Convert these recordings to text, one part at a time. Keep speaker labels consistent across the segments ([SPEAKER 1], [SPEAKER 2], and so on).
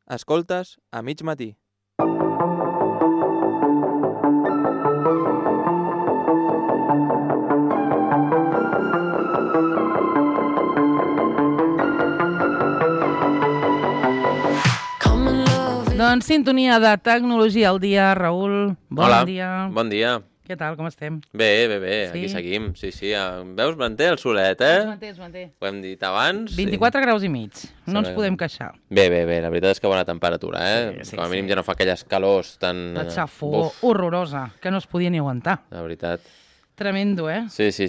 [SPEAKER 1] Escoltes a mig matí.
[SPEAKER 2] Doncs sintonia de tecnologia al dia, Raül. Bon dia.
[SPEAKER 3] Bon dia.
[SPEAKER 2] Què tal, com estem?
[SPEAKER 3] Bé,
[SPEAKER 2] Sí?
[SPEAKER 3] aquí seguim. Sí. Veus, manté el solet, eh?
[SPEAKER 2] Es manté.
[SPEAKER 3] Ho hem dit abans.
[SPEAKER 2] 24 graus i mig. No ens podem queixar.
[SPEAKER 3] Bé, la veritat és que bona temperatura, eh?
[SPEAKER 2] Sí,
[SPEAKER 3] Com a mínim ja no fa aquelles calors tan...
[SPEAKER 2] La xafó horrorosa, que no es podia ni aguantar.
[SPEAKER 3] La veritat.
[SPEAKER 2] Tremendo, eh?
[SPEAKER 3] Sí.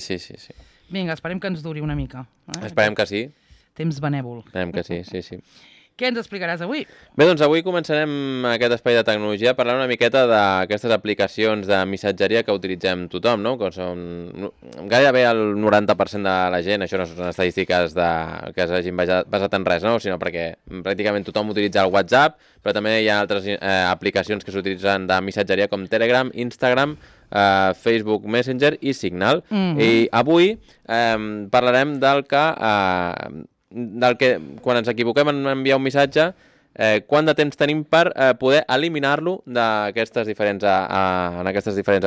[SPEAKER 2] Vinga, esperem que ens duri una mica.
[SPEAKER 3] Esperem que sí.
[SPEAKER 2] Temps benèvol.
[SPEAKER 3] Esperem que sí.
[SPEAKER 2] Què ens explicaràs avui?
[SPEAKER 3] Bé, doncs avui començarem aquest espai de tecnologia parlant una miqueta d'aquestes aplicacions de missatgeria que utilitzem tothom, no? Que són gairebé el 90% de la gent, això no són estadístiques que s'hagin basat en res, no? Sinó perquè pràcticament tothom utilitza el WhatsApp, però també hi ha altres aplicacions que s'utilitzen de missatgeria com Telegram, Instagram, Facebook Messenger i Signal. I avui parlarem del que quan ens equivoquem en enviar un missatge, quant de temps tenim per poder eliminar-lo en aquestes diferents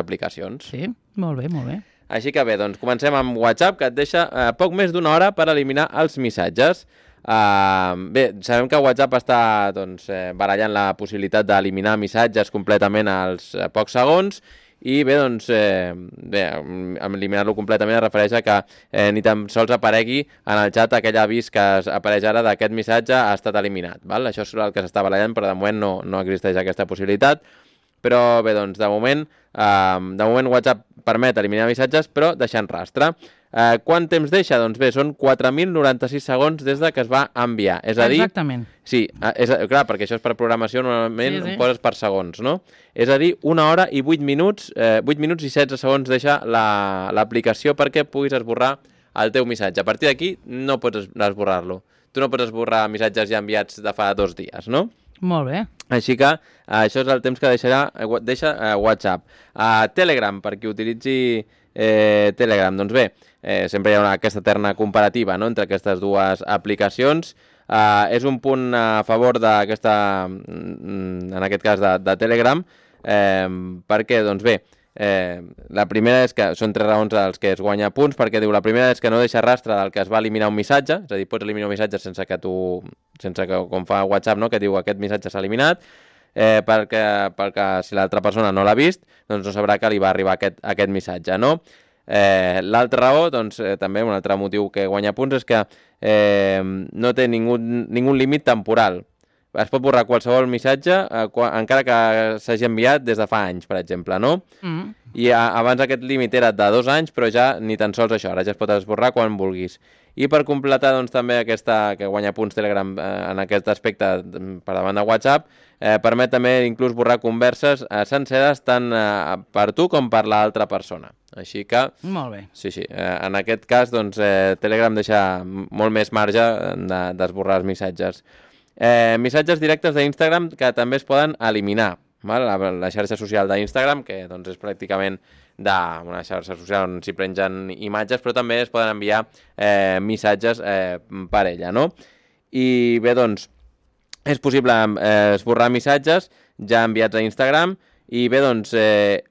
[SPEAKER 3] aplicacions.
[SPEAKER 2] Sí, molt bé.
[SPEAKER 3] Així que bé, doncs comencem amb WhatsApp, que et deixa poc més d'una hora per eliminar els missatges. Bé, sabem que WhatsApp està barallant la possibilitat d'eliminar missatges completament als pocs segons. I bé, doncs, eliminar-lo completament es refereix a que ni tan sols aparegui en el xat aquell avís que apareix ara d'aquest missatge ha estat eliminat, val? Això és el que s'està barallant, però de moment no existeix aquesta possibilitat. Però bé, doncs, de moment WhatsApp permet eliminar missatges, però deixant rastre. Quant temps deixa? Doncs bé, són 4.096 segons des de que es va enviar. És a dir...
[SPEAKER 2] Exactament.
[SPEAKER 3] Sí, clar, perquè això és per programació, normalment ho poses per segons, no? És a dir, 1 hora i 8 minuts, 8 minuts i 16 segons deixa l'aplicació perquè puguis esborrar el teu missatge. A partir d'aquí no pots esborrar-lo. Tu no pots esborrar missatges ja enviats de fa 2 dies, no?
[SPEAKER 2] Molt bé.
[SPEAKER 3] Així que això és el temps que deixa WhatsApp. Telegram, per qui utilitzi Telegram, doncs bé, sempre hi ha aquesta eterna comparativa, no?, entre aquestes dues aplicacions. És un punt a favor d'aquesta, en aquest cas de Telegram, perquè, doncs bé, la primera és que són 3 raons als que es guanya punts, perquè diu, la primera és que no deixa rastre del que es va eliminar un missatge, és a dir, pots eliminar un missatge sense que com fa WhatsApp, no?, que diu aquest missatge s'ha eliminat, perquè si l'altra persona no l'ha vist, doncs no sabrà que li va arribar aquest missatge, no? L'altra raó, doncs, també un altre motiu que guanya punts és que no té ningú límit temporal. Es pot borrar qualsevol missatge, encara que s'hagi enviat des de fa anys, per exemple, no? I abans aquest límit era de 2 anys, però ja ni tan sols això, ara ja es pot esborrar quan vulguis. I per completar, doncs, també aquesta que guanya punts Telegram en aquest aspecte per davant de WhatsApp, permet també inclús borrar converses senceres tant per tu com per l'altra persona. Així que...
[SPEAKER 2] Molt bé.
[SPEAKER 3] Sí, en aquest cas, doncs, Telegram deixa molt més marge d'esborrar els missatges. Missatges directes d'Instagram que també es poden eliminar. La xarxa social d'Instagram, que doncs, és pràcticament una xarxa social on s'hi pengen imatges, però també es poden enviar missatges per ella, no? I bé, doncs, és possible esborrar missatges ja enviats a Instagram i bé, doncs,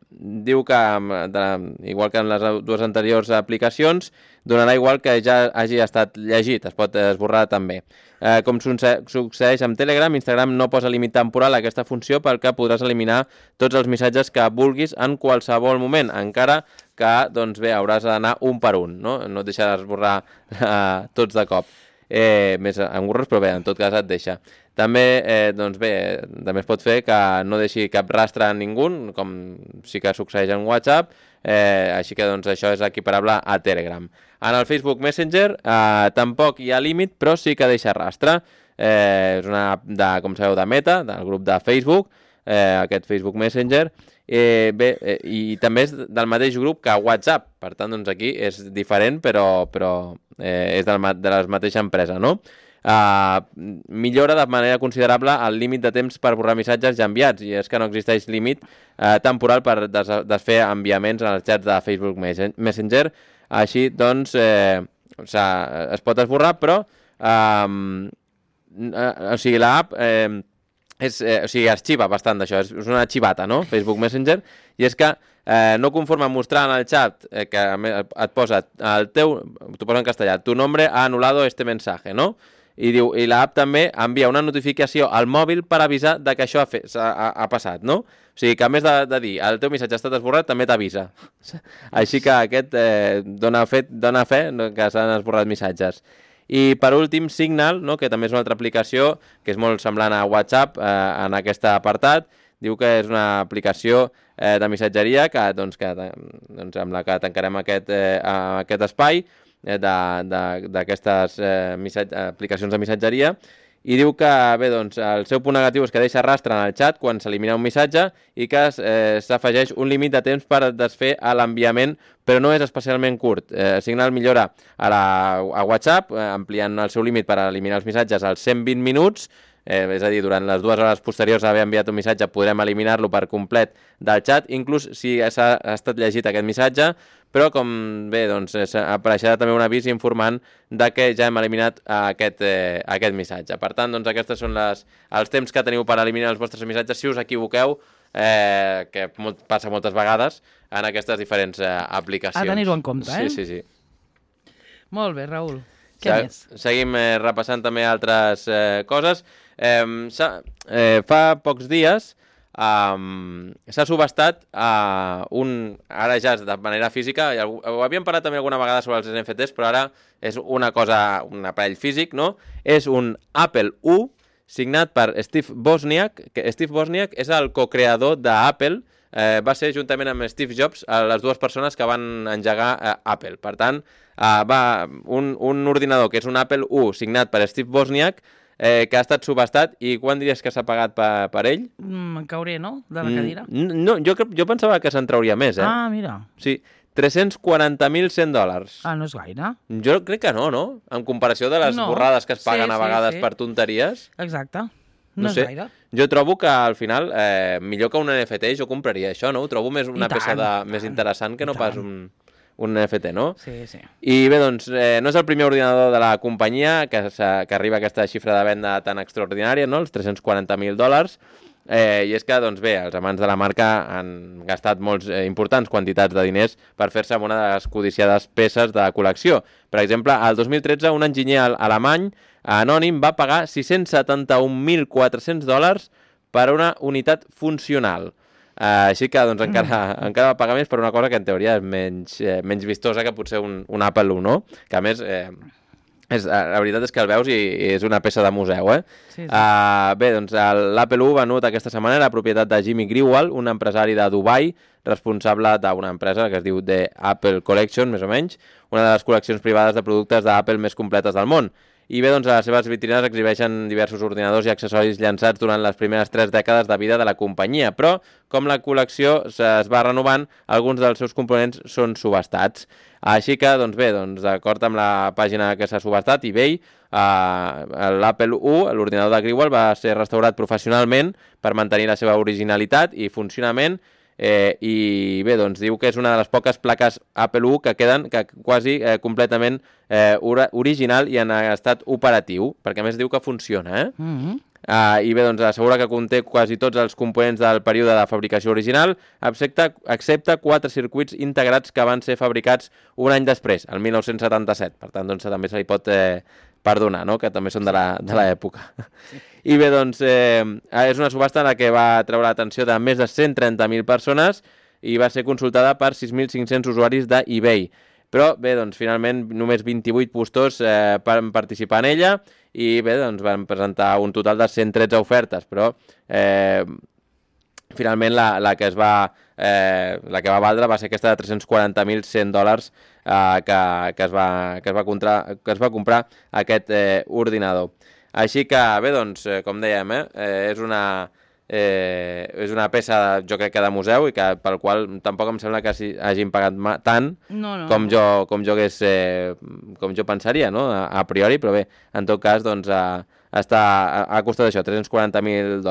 [SPEAKER 3] diu que, igual que en les 2 anteriors aplicacions, donarà igual que ja hagi estat llegit, es pot esborrar també. Com succeeix amb Telegram, Instagram no posa límit temporal a aquesta funció perquè podràs eliminar tots els missatges que vulguis en qualsevol moment, encara que, doncs bé, hauràs d'anar un per un, no? No et deixa d'esborrar tots de cop. Més engorros, però bé, en tot cas et deixa. També, doncs bé, també es pot fer que no deixi cap rastre a ningú, com sí que succeeix en WhatsApp, així que doncs això és equiparable a Telegram. En el Facebook Messenger tampoc hi ha límit, però sí que deixa rastre. És una app, com sabeu, de Meta, del grup de Facebook, aquest Facebook Messenger, i també és del mateix grup que WhatsApp, per tant, doncs aquí és diferent, però és de la mateixa empresa, no? Millora de manera considerable el límit de temps per borrar missatges ja enviats, i és que no existeix límit temporal per desfer enviaments en els xats de Facebook Messenger. Així, doncs, es pot esborrar, però o sigui, l'app o sigui, es xiva bastant d'això, és una xivata, no? Facebook Messenger, i és que no conforme a mostrar en el xat que et posa el teu, t'ho posa en castellà, tu nombre ha anulado este mensaje, no? I diu, i l'app també envia una notificació al mòbil per avisar de que això ha passat, no? O sigui, que a més de dir el teu missatge ha estat esborrat, també t'avisa. Així que aquest dona fe que s'han esborrat missatges. I per últim, Signal, no? Que també és una altra aplicació que és molt semblant a WhatsApp en aquest apartat. Diu que és una aplicació de missatgeria amb la que tancarem aquest espai d'aquestes aplicacions de missatgeria, i diu que bé, doncs, el seu punt negatiu és que deixa rastre en el xat quan s'elimina un missatge i que s'afegeix un límit de temps per desfer l'enviament, però no és especialment curt. Signal millora a WhatsApp, ampliant el seu límit per eliminar els missatges als 120 minuts, és a dir, durant les 2 hores posteriors d'haver enviat un missatge podrem eliminar-lo per complet del xat, inclús si ha estat llegit aquest missatge, però com bé, doncs apareixerà també un avís informant de que ja hem eliminat aquest missatge. Per tant, doncs aquests són els temps que teniu per eliminar els vostres missatges si us equivoqueu, que passa moltes vegades en aquestes diferents aplicacions.
[SPEAKER 2] A tenir-ho en compte, eh?
[SPEAKER 3] Sí.
[SPEAKER 2] Molt bé, Raül. Què més?
[SPEAKER 3] Seguim repassant també altres coses. Fa pocs dies s'ha subhastat ara ja de manera física, ho havíem parlat també alguna vegada sobre els NFTs, però ara és un aparell físic, no? És un Apple I signat per Steve Wozniak, que Steve Wozniak és el co-creador d'Apple, va ser juntament amb Steve Jobs les dues persones que van engegar Apple. Per tant, un ordinador que és un Apple I signat per Steve Wozniak, que ha estat subhastat, i quan diries que s'ha pagat per ell?
[SPEAKER 2] Em cauré, no?, de la cadira.
[SPEAKER 3] No, jo pensava que se'n trauria més,
[SPEAKER 2] Ah, mira.
[SPEAKER 3] Sí, $340.100.
[SPEAKER 2] Ah, no és gaire.
[SPEAKER 3] Jo crec que no? En comparació de les borrades que es paguen a vegades per tonteries.
[SPEAKER 2] Exacte. No és gaire.
[SPEAKER 3] Jo trobo que al final, millor que un NFT, jo compraria això, no? Ho trobo més una peça més interessant que no pas un NFT, no?
[SPEAKER 2] Sí.
[SPEAKER 3] I bé, doncs, no és el primer ordinador de la companyia que arriba a aquesta xifra de venda tan extraordinària, no? Els $340.000. I és que, doncs bé, els amants de la marca han gastat molts importants quantitats de diners per fer-se amb una de les codiciades peces de col·lecció. Per exemple, al 2013, un enginyer alemany anònim va pagar $671.400 per una unitat funcional. Així que doncs, encara va pagar més per una cosa que en teoria és menys vistosa que potser un Apple I, no? Que a més, la veritat és que el veus i és una peça de museu, eh?
[SPEAKER 2] Sí.
[SPEAKER 3] Bé, doncs l'Apple I venut aquesta setmana era propietat de Jimmy Grewal, un empresari de Dubai, responsable d'una empresa que es diu The Apple Collection, més o menys, una de les col·leccions privades de productes d'Apple més completes del món. I bé, doncs, a les seves vitrines exhibeixen diversos ordinadors i accessoris llançats durant les primeres 3 dècades de vida de la companyia, però com la col·lecció es va renovant, alguns dels seus components són subhastats. Així que, doncs bé, d'acord amb la pàgina que s'ha subhastat, eBay, l'Apple I, l'ordinador de Grewal, va ser restaurat professionalment per mantenir la seva originalitat i funcionament, i bé, doncs diu que és una de les poques plaques Apple I que queden quasi completament original i en estat operatiu, perquè a més diu que funciona, i bé, doncs assegura que conté quasi tots els components del període de fabricació original, excepte 4 circuits integrats que van ser fabricats un any després, el 1977. Per tant, doncs també se li pot perdonar, no?, que també són de l'època. Sí. I bé, doncs, és una subhasta en la que va treure l'atenció de més de 130.000 persones i va ser consultada per 6.500 usuaris d'eBay. Però bé, doncs, finalment només 28 postors van participar en ella i bé, doncs, van presentar un total de 113 ofertes, però finalment la que va valdre va ser aquesta de $340.100 que es va comprar aquest ordinador. Així que bé, doncs, com dèiem, és una peça, jo crec que de museu, i que pel qual tampoc em sembla que hagin pagat tant com jo pensaria, no?, a priori, però bé, en tot cas, doncs, ha costat això, $340.000.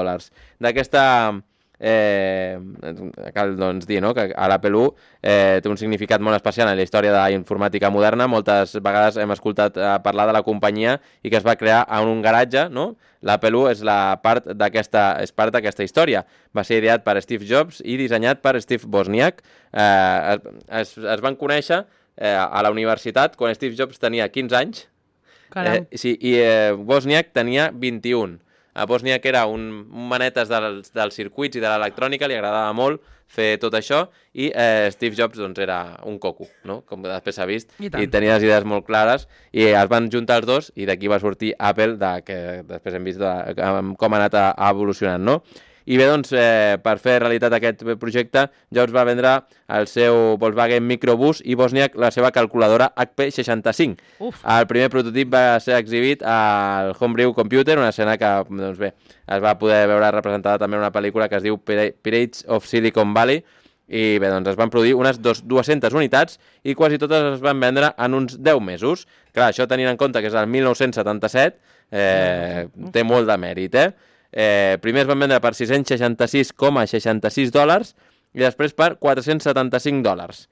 [SPEAKER 3] cal doncs, dir no? que a l'Apple 1 té un significat molt especial en la història de la informàtica moderna. Moltes vegades hem escoltat parlar de la companyia i que es va crear en un garatge, no? L'Apple 1 és part d'aquesta història. Va ser ideat per Steve Jobs i dissenyat per Steve Wozniak. Es van conèixer a la universitat quan Steve Jobs tenia 15 anys. Sí, i Wozniak tenia 21. A Wozniak era un manetes dels circuits i de l'electrònica, li agradava molt fer tot això, i Steve Jobs doncs, era un coco, no? Com després s'ha vist, i tenia les idees molt clares, i es van juntar els dos, i d'aquí va sortir Apple, que després hem vist com ha anat evolucionant, no? I bé, doncs, per fer realitat aquest projecte, Jobs va vendre el seu Volkswagen Microbus i Wozniak la seva calculadora HP65. El primer prototip va ser exhibit al Homebrew Computer, una escena que, doncs bé, es va poder veure representada també en una pel·lícula que es diu Pirates of Silicon Valley, i bé, doncs es van produir unes 200 unitats i quasi totes es van vendre en uns 10 mesos. Clar, això tenint en compte que és el 1977, té molt de mèrit, primer es van vendre per $666,66 i després per $475.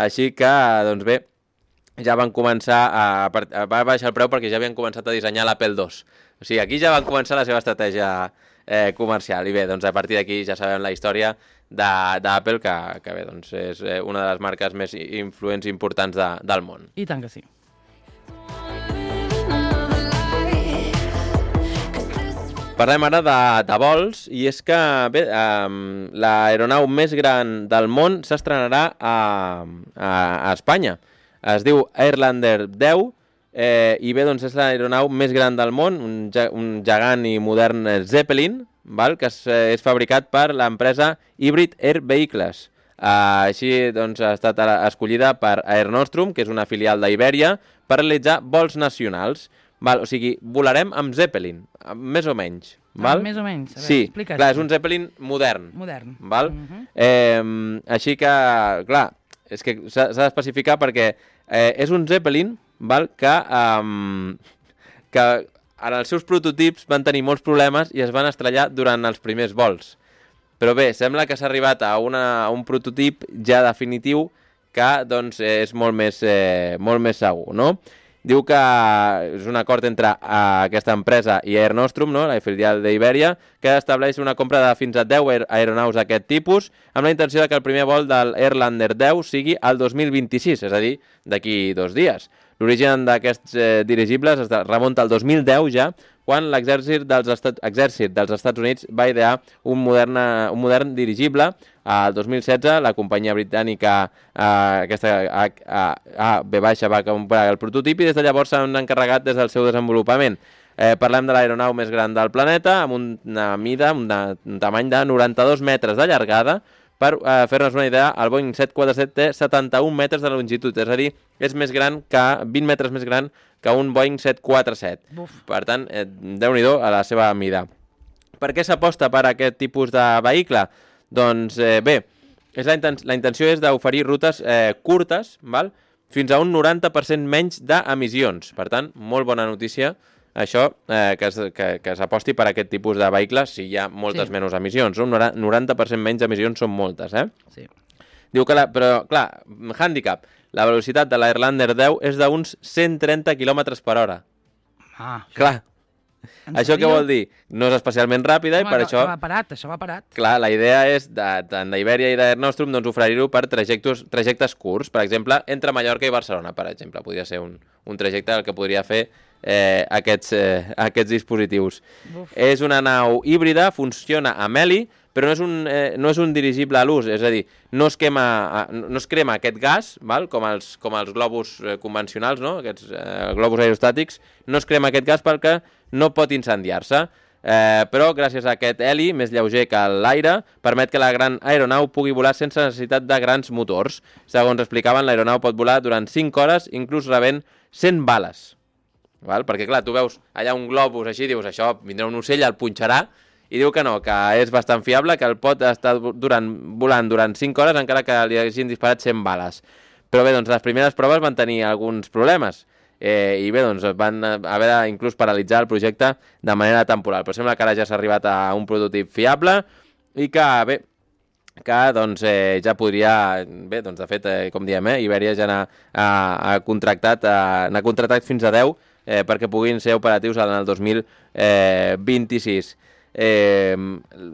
[SPEAKER 3] Així que, doncs bé, ja van començar va baixar el preu perquè ja havien començat a dissenyar l'Apple II. O sigui, aquí ja van començar la seva estratègia comercial. I bé, doncs a partir d'aquí ja sabem la història d'Apple, que bé, doncs és una de les marques més influents i importants del món.
[SPEAKER 2] I tant que sí.
[SPEAKER 3] Parlem ara de vols, i és que bé, l'aeronau més gran del món s'estrenarà a Espanya. Es diu Airlander 10, i bé, doncs és l'aeronau més gran del món, un gegant i modern Zeppelin, que és fabricat per l'empresa Hybrid Air Vehicles. Així doncs, ha estat escollida per Air Nostrum, que és una filial d'Iberia, per realitzar vols nacionals. O sigui, volarem amb Zeppelin, més o menys.
[SPEAKER 2] Més o menys, a veure,
[SPEAKER 3] sí,
[SPEAKER 2] explica't.
[SPEAKER 3] Clar, és un Zeppelin modern. Així que, clar, és que s'ha d'especificar perquè és un Zeppelin que en els seus prototips van tenir molts problemes i es van estrellar durant els primers vols. Però bé, sembla que s'ha arribat a un prototip ja definitiu que doncs, és molt més segur, no? Diu que és un acord entre aquesta empresa i Air Nostrum, no? La filial d'Iberia, que estableix una compra de fins a 10 aeronaus d'aquest tipus, amb la intenció que el primer vol de l'Airlander 10 sigui el 2026, és a dir, d'aquí 2 dies. L'origen d'aquests dirigibles es remunta al 2010 ja, quan l'exèrcit dels Estats Units va idear un modern dirigible. Al 2016, la companyia britànica va comprar el prototip i des de llavors s'han encarregat des del seu desenvolupament. Parlem de l'aeronau més gran del planeta, amb una mida, un tamany de 92 metres de llargada. Per fer-nos una idea, el Boeing 747 té 71 metres de longitud, és a dir, és 20 metres més gran que un Boeing 747. Per tant, déu-n'hi-do a la seva mida. Per què s'aposta per aquest tipus de vehicle? Doncs bé, la intenció és d'oferir rutes curtes, fins a un 90% menys d'emissions. Per tant, molt bona notícia això, que s'aposti per aquest tipus de vehicles si hi ha moltes menys emissions. Un 90% menys d'emissions són moltes,
[SPEAKER 2] Sí.
[SPEAKER 3] Diu que, però, clar, hàndicap, la velocitat de l'Airlander 10 és d'uns 130 km per hora. Clar. Això què vol dir? No és especialment ràpida i per això...
[SPEAKER 2] Això va parat.
[SPEAKER 3] Clar, la idea és, tant d'Iberia i d'Air Nostrum, doncs oferir-ho per trajectes curts. Per exemple, entre Mallorca i Barcelona, per exemple. Podria ser un trajecte el que podria fer aquests dispositius. És una nau híbrida, funciona amb heli, però no és un dirigible a l'ús, és a dir, no es crema aquest gas, com els globus convencionals, no? Aquests globus aerostàtics, no es crema aquest gas perquè no pot incendiar-se, però gràcies a aquest heli, més lleuger que l'aire, permet que la gran aeronau pugui volar sense necessitat de grans motors. Segons explicaven, l'aeronau pot volar durant 5 hores, inclús rebent 100 bales. Perquè, clar, tu veus allà un globus així, dius, això, vindrà un ocell, el punxarà, i diu que no, que és bastant fiable, que el pot estar volant durant 5 hores encara que li hagin disparat 100 bales. Però bé, doncs les primeres proves van tenir alguns problemes i bé, doncs van haver inclús paralitzar el projecte de manera temporal. Però sembla que ara ja s'ha arribat a un prototip fiable i que, bé, doncs, ja podria, bé, doncs, de fet, com diem, Ibèria ja n'ha contractat fins a 10 perquè puguin ser operatius en el 2026.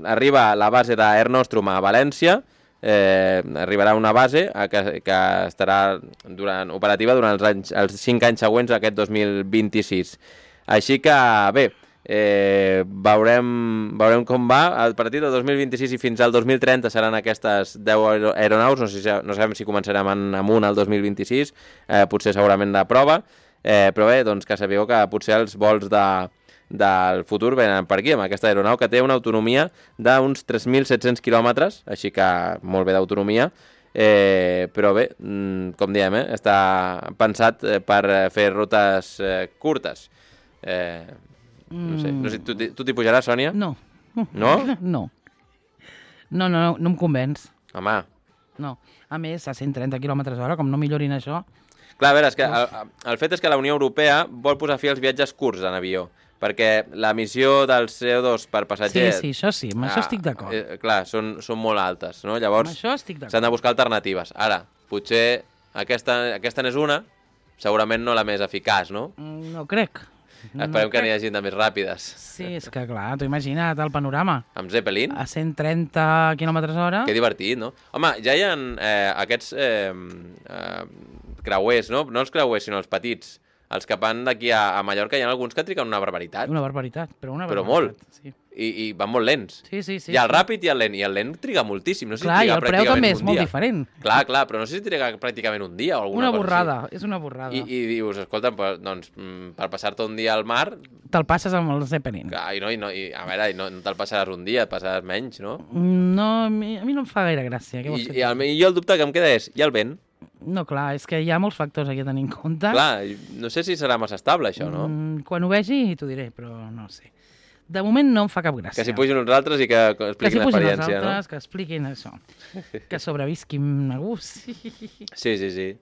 [SPEAKER 3] Arriba la base d'Air Nostrum a València, arribarà una base que estarà operativa durant els 5 anys següents a aquest 2026. Així que, bé, veurem com va. A partir del 2026 i fins al 2030 seran aquestes 10 aeronaus, no sabem si començarem amunt al 2026, potser segurament de prova, però bé, doncs que sabeu que potser els vols del futur venen per aquí, amb aquesta aeronau que té una autonomia d'uns 3.700 quilòmetres, així que molt bé d'autonomia, però bé, com diem, està pensat per fer rutes curtes. No sé, tu t'hi pujaràs, Sònia?
[SPEAKER 2] No.
[SPEAKER 3] No?
[SPEAKER 2] No em convenç.
[SPEAKER 3] Home.
[SPEAKER 2] No. A més, a 130 km/h, com no millorin això...
[SPEAKER 3] Clar, a veure, és que el fet és que la Unió Europea vol posar fi als viatges curts en avió, perquè l'emissió del CO2 per passatger...
[SPEAKER 2] Sí, això sí, amb això estic d'acord.
[SPEAKER 3] Clar, són molt altes, no? Llavors s'han de buscar alternatives. Ara, potser aquesta n'és una, segurament no la més eficaç, no?
[SPEAKER 2] No crec.
[SPEAKER 3] Esperem que n'hi hagi de més ràpides.
[SPEAKER 2] Sí, és que clar, t'ho imagina't el panorama.
[SPEAKER 3] Amb Zeppelin?
[SPEAKER 2] A 130 km/h.
[SPEAKER 3] Que divertit, no? Home, ja hi ha aquests creuers, no? No els creuers, sinó els petits. Els que van d'aquí a Mallorca, hi ha alguns que triguen una barbaritat.
[SPEAKER 2] Una barbaritat, però
[SPEAKER 3] molt.
[SPEAKER 2] Sí.
[SPEAKER 3] I van molt lents.
[SPEAKER 2] Sí.
[SPEAKER 3] Hi ha el ràpid i el lent. I el lent triga moltíssim. No sé
[SPEAKER 2] clar,
[SPEAKER 3] si
[SPEAKER 2] i el preu també és molt diferent.
[SPEAKER 3] Clar, però no sé si triga pràcticament un dia o alguna cosa
[SPEAKER 2] borrada,
[SPEAKER 3] així.
[SPEAKER 2] És una borrada.
[SPEAKER 3] I dius, escolta, doncs, per passar-te un dia al mar...
[SPEAKER 2] Te'l passes amb el Zeppelin.
[SPEAKER 3] Clar, a veure, no te'l passaràs un dia, et passaràs menys, no?
[SPEAKER 2] No, a mi no em fa gaire gràcia.
[SPEAKER 3] I jo el dubte que em queda és, i el vent?
[SPEAKER 2] No, clar, és que hi ha molts factors aquí a tenir en compte.
[SPEAKER 3] Clar, no sé si serà massa estable, això, no?
[SPEAKER 2] Quan ho vegi t'ho diré, però no sé. De moment no em fa cap gràcia.
[SPEAKER 3] Que s'hi pugin uns altres i que expliquin l'experiència, no?
[SPEAKER 2] Que expliquin això. Que sobrevisquin a gust.
[SPEAKER 3] Sí.
[SPEAKER 2] I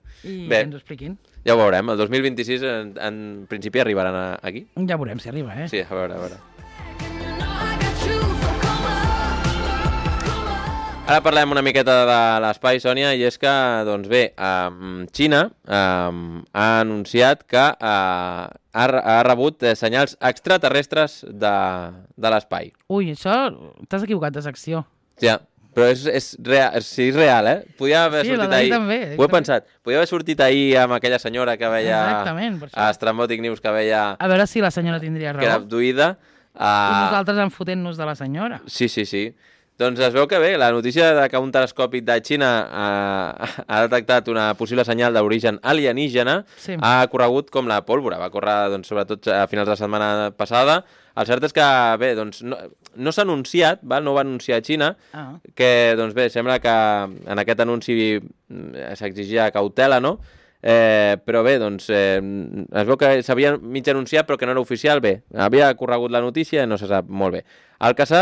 [SPEAKER 3] bé,
[SPEAKER 2] que ens ho expliquin.
[SPEAKER 3] Ja ho veurem. El 2026 en principi arribaran aquí.
[SPEAKER 2] Ja veurem si arriba,
[SPEAKER 3] Sí, a veure. Ara parlem una miqueta de l'espai, Sònia, i és que, doncs bé, Xina ha anunciat que ha rebut senyals extraterrestres de l'espai.
[SPEAKER 2] Ui, això t'has equivocat de secció.
[SPEAKER 3] Ja, però és real, Podia haver sortit ahir.
[SPEAKER 2] També.
[SPEAKER 3] Ho he pensat. Podia haver sortit ahir amb aquella senyora que veia...
[SPEAKER 2] Exactament, per això.
[SPEAKER 3] A Estrambòtic News, que veia...
[SPEAKER 2] A veure si la senyora tindria raó.
[SPEAKER 3] Que era abduïda.
[SPEAKER 2] I nosaltres enfotent-nos de la senyora.
[SPEAKER 3] Sí. Doncs es veu que bé, la notícia que un telescopi de Xina ha detectat una possible senyal d'origen alienígena ha corregut com la pólvora. Va córrer, doncs, sobretot a finals de la setmana passada. El cert és que, bé, doncs, no s'ha anunciat, no va anunciar a Xina, que, doncs bé, sembla que en aquest anunci s'exigia cautela, no? Però bé, doncs, es veu que s'havia mig anunciat però que no era oficial. Bé, havia corregut la notícia i no se sap molt bé. El que se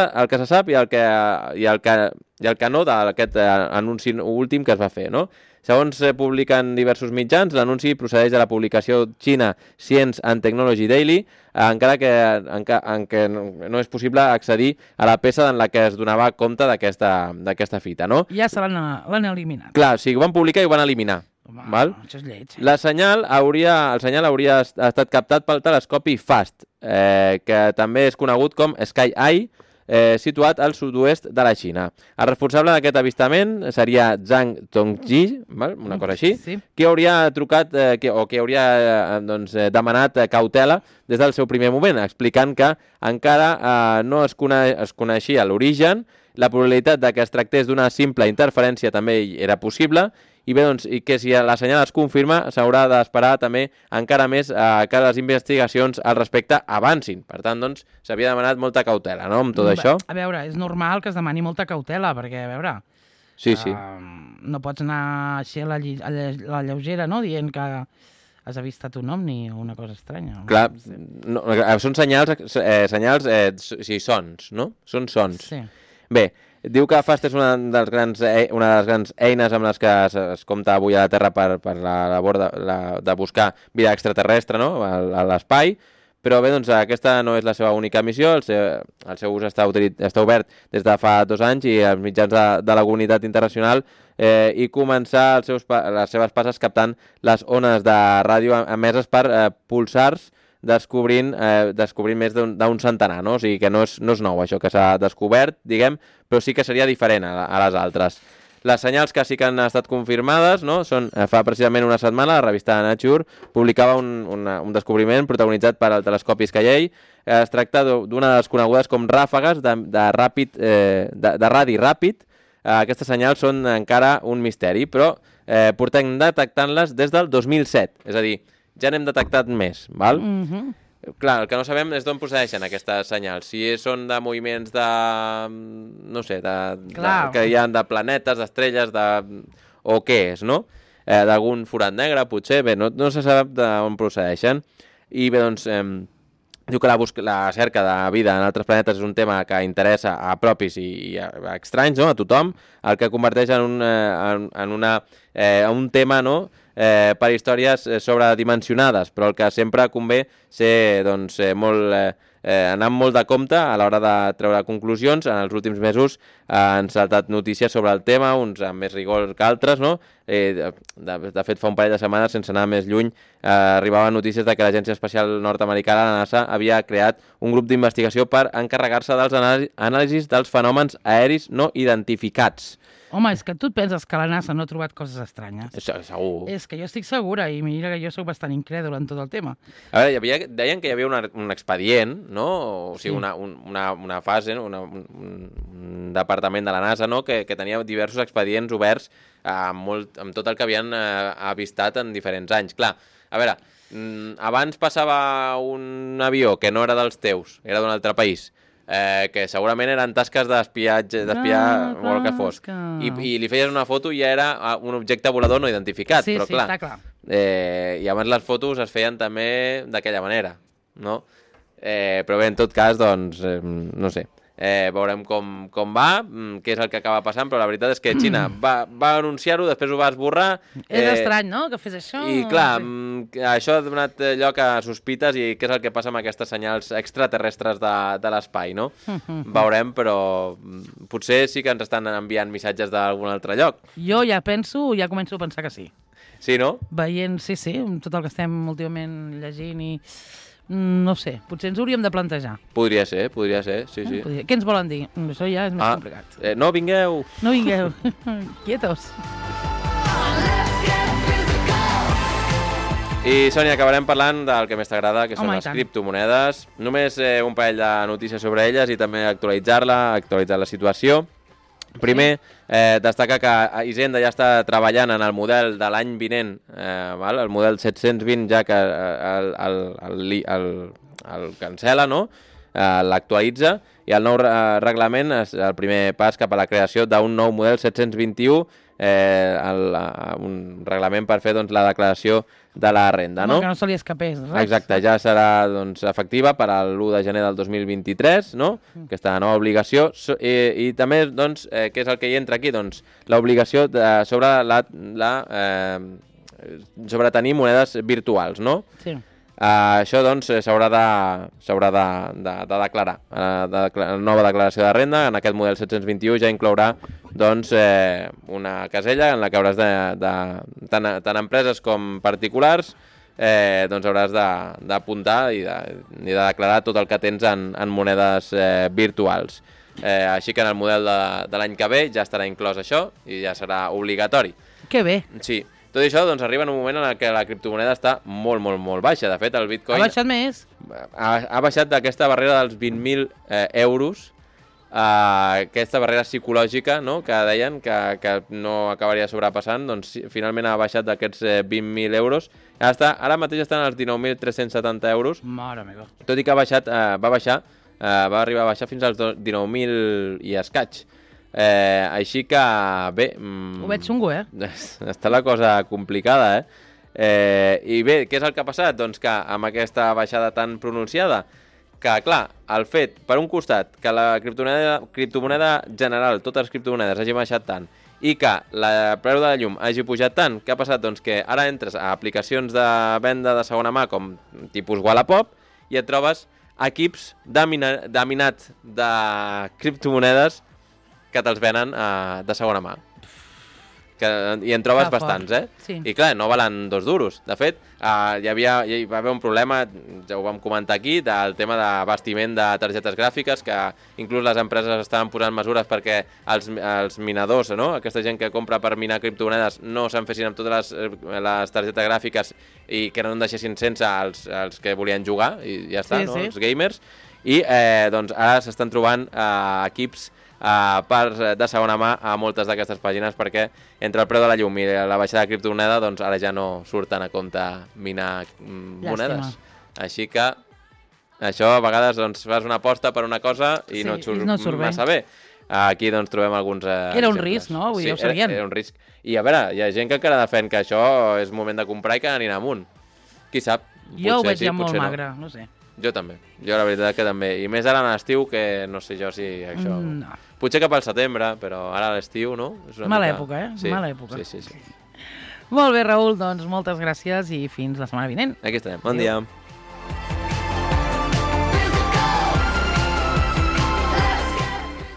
[SPEAKER 3] sap i el que no d'aquest anunci últim que es va fer, no? Segons publiquen diversos mitjans, l'anunci procedeix de la publicació China Science and Technology Daily, encara que no és possible accedir a la peça en la que es donava compte d'aquesta fita, no?
[SPEAKER 2] Ja se l'han eliminat.
[SPEAKER 3] Clar, o sigui, ho van publicar i ho van eliminar.
[SPEAKER 2] Home,
[SPEAKER 3] val?
[SPEAKER 2] Això és lleig.
[SPEAKER 3] El senyal hauria estat captat pel telescopi FAST, que també és conegut com Sky Eye, situat al sud-oest de la Xina. El responsable d'aquest avistament seria Zhang Tongji, una cosa així, que hauria trucat que hauria demanat cautela des del seu primer moment, explicant que encara no es coneixia l'origen, la probabilitat que es tractés d'una simple interferència també era possible, i bé, doncs, i que si la senyal es confirma, s'haurà d'esperar també encara més que les investigacions al respecte avancin. Per tant, doncs, s'havia demanat molta cautela, no?, amb tot això.
[SPEAKER 2] A veure, és normal que es demani molta cautela, perquè, a veure...
[SPEAKER 3] Sí.
[SPEAKER 2] No pots anar així a la lleugera, no?, dient que has avistat un ovni o una cosa estranya.
[SPEAKER 3] Clar, són senyals, sons, no? Són sons.
[SPEAKER 2] Sí.
[SPEAKER 3] Bé, diu que FAST és una de les grans eines amb les que es compta avui a la Terra per la labor de buscar vida extraterrestre, no?, a l'espai, Però bé, doncs aquesta no és la seva única missió, el seu ús està obert des de fa 2 anys i els mitjans de la comunitat internacional i començar les seves passes captant les ones de ràdio emeses per pulsars descobrint més d'un centenar, no? O sigui que no és nou això que s'ha descobert, diguem, però sí que seria diferent a les altres. Les senyals que sí que han estat confirmades, no? Són, fa precisament una setmana, la revista Nature publicava un descobriment protagonitzat per el telescopi Skyley. Es tracta d'una de les conegudes com ràfegues de radi ràpid. Aquestes senyals són encara un misteri, però portem detectant-les des del 2007. És a dir, ja n'hem detectat més, val? Clar, el que no sabem és d'on procedeixen aquestes senyals. Si són de moviments no sé, que hi ha de planetes, d'estrelles, o què és, no? D'algun forat negre, potser. Bé, no se sap d'on procedeixen. I bé, doncs, diu que la cerca de vida en altres planetes és un tema que interessa a propis i a estranys, no? A tothom, el que converteix en un tema, no?, per històries sobredimensionades, però el que sempre convé ser anar amb molt de compte a l'hora de treure conclusions. En els últims mesos han saltat notícies sobre el tema, uns amb més rigor que altres, no? De fet, fa un parell de setmanes, sense anar més lluny, arribaven notícies de que l'Agència Espacial Nord-Americana, la NASA, havia creat un grup d'investigació per encarregar-se dels anàlisis dels fenòmens aeris no identificats.
[SPEAKER 2] Home, és que tu et penses que la NASA no ha trobat coses estranyes.
[SPEAKER 3] Segur.
[SPEAKER 2] És que jo estic segura, i mira que jo soc bastant incrèdul en tot el tema.
[SPEAKER 3] A veure, deien que hi havia un expedient, no? O sigui, una fase, no? Un departament de la NASA, no? Que tenia diversos expedients oberts amb tot el que havien avistat en diferents anys. Clar, a veure, abans passava un avió que no era dels teus, era d'un altre país, que segurament eren tasques d'espiar o el que fos. I li feies una foto i ja era un objecte volador no identificat.
[SPEAKER 2] Sí,
[SPEAKER 3] però,
[SPEAKER 2] sí, està clar.
[SPEAKER 3] I abans les fotos es feien també d'aquella manera, no? Però bé, en tot cas, doncs, no sé. Veurem com va, què és el que acaba passant, però la veritat és que Xina va anunciar-ho, després ho va esborrar.
[SPEAKER 2] És estrany, no?, que fes això.
[SPEAKER 3] I clar, això ha donat lloc a sospites i què és el que passa amb aquestes senyals extraterrestres de l'espai, no? Veurem, però potser sí que ens estan enviant missatges d'algun altre lloc.
[SPEAKER 2] Jo ja començo a pensar que sí.
[SPEAKER 3] Sí, no?
[SPEAKER 2] Veient, sí, tot el que estem últimament llegint i... No sé, potser ens hauríem de plantejar.
[SPEAKER 3] Podria ser, sí.
[SPEAKER 2] Què ens volen dir? Això ja és més complicat.
[SPEAKER 3] No vingueu!
[SPEAKER 2] No vingueu, quietos.
[SPEAKER 3] I, Sònia, acabarem parlant del que més t'agrada, que són les
[SPEAKER 2] tant.
[SPEAKER 3] criptomonedes. Només un parell de notícies sobre elles i també actualitzar la situació. Primer, destacar que Hisenda ja està treballant en el model de l'any vinent, el model 720, ja que el cancela, no? L'actualitza, i el nou reglament és el primer pas cap a la creació d'un nou model 721, un reglament per fer la declaració de la renda, no?
[SPEAKER 2] Que no se li escapés res.
[SPEAKER 3] Exacte, ja serà efectiva per a l'1 de gener del 2023, no? Aquesta nova obligació. I també, què és el que hi entra aquí? L'obligació sobre tenir monedes virtuals, no?
[SPEAKER 2] Sí.
[SPEAKER 3] Això, s'haurà de declarar. La nova declaració de renda, en aquest model 721, ja inclourà una casella en la que hauràs tant empreses com particulars, hauràs d'apuntar i de declarar tot el que tens en monedes virtuals. Així que en el model de l'any que ve ja estarà inclòs això i ja serà obligatori.
[SPEAKER 2] Que bé.
[SPEAKER 3] Sí. Tot això arriba en un moment en què la criptomoneda està molt, molt, molt baixa. De fet, el Bitcoin...
[SPEAKER 2] Ha baixat més?
[SPEAKER 3] Ha baixat d'aquesta barrera dels 20.000 euros, aquesta barrera psicològica, no?, que deien que no acabaria sobrepassant, finalment ha baixat d'aquests 20.000 euros. Ara mateix estan als 19.370 euros.
[SPEAKER 2] Mare meva.
[SPEAKER 3] Tot i que va arribar a baixar fins als 19.000 i escaig. Així que, bé...
[SPEAKER 2] Ho veig xungo,
[SPEAKER 3] Està la cosa complicada, I bé, què és el que ha passat? Doncs que amb aquesta baixada tan pronunciada, que, clar, el fet, per un costat, que la criptomoneda general, totes les criptomonedes hagi baixat tant, i que el preu de la llum hagi pujat tant, què ha passat? Doncs que ara entres a aplicacions de venda de segona mà com tipus Wallapop i et trobes equips de minat de criptomonedes que te'ls venen de segona mà. I en trobes
[SPEAKER 2] Que fort.
[SPEAKER 3] bastants, eh?
[SPEAKER 2] Sí.
[SPEAKER 3] I clar, no valen 2 duros. De fet, hi va haver un problema, ja ho vam comentar aquí, del tema d'abastiment de targetes gràfiques, que inclús les empreses estaven posant mesures perquè els minadors, no? Aquesta gent que compra per minar criptomonedes, no se'n fessin amb totes les targetes gràfiques i que no en deixessin sense els que volien jugar, i ja està,
[SPEAKER 2] Sí,
[SPEAKER 3] no?
[SPEAKER 2] sí.
[SPEAKER 3] Els gamers. I doncs ara s'estan trobant equips de segona mà a moltes d'aquestes pàgines perquè entre el preu de la llum i la baixada de criptomoneda doncs ara ja no surten a compte minar monedes. Així que això a vegades doncs, fas una aposta per una cosa i
[SPEAKER 2] Sí,
[SPEAKER 3] no et surt,
[SPEAKER 2] i no et surt bé.
[SPEAKER 3] massa bé. Aquí doncs trobem alguns
[SPEAKER 2] Era un
[SPEAKER 3] exemples.
[SPEAKER 2] risc, no? Vull dir,
[SPEAKER 3] Sí,
[SPEAKER 2] ho sabien.
[SPEAKER 3] era un risc. I a veure, hi ha gent que encara defèn que això és moment de comprar i que anirà amunt. Qui sap?
[SPEAKER 2] Jo ho
[SPEAKER 3] Potser
[SPEAKER 2] veig
[SPEAKER 3] sí,
[SPEAKER 2] ja molt
[SPEAKER 3] potser no.
[SPEAKER 2] magre, no sé.
[SPEAKER 3] Jo també. Jo la veritat que també. I més ara a l'estiu que no sé jo si això...
[SPEAKER 2] No.
[SPEAKER 3] Potser cap al setembre, però ara a l'estiu, no? És una
[SPEAKER 2] Mala
[SPEAKER 3] mica...
[SPEAKER 2] època, eh?
[SPEAKER 3] Sí.
[SPEAKER 2] Mala època.
[SPEAKER 3] Sí.
[SPEAKER 2] Molt bé, Raül, doncs moltes gràcies i fins la setmana vinent.
[SPEAKER 3] Aquí estarem. Bon dia.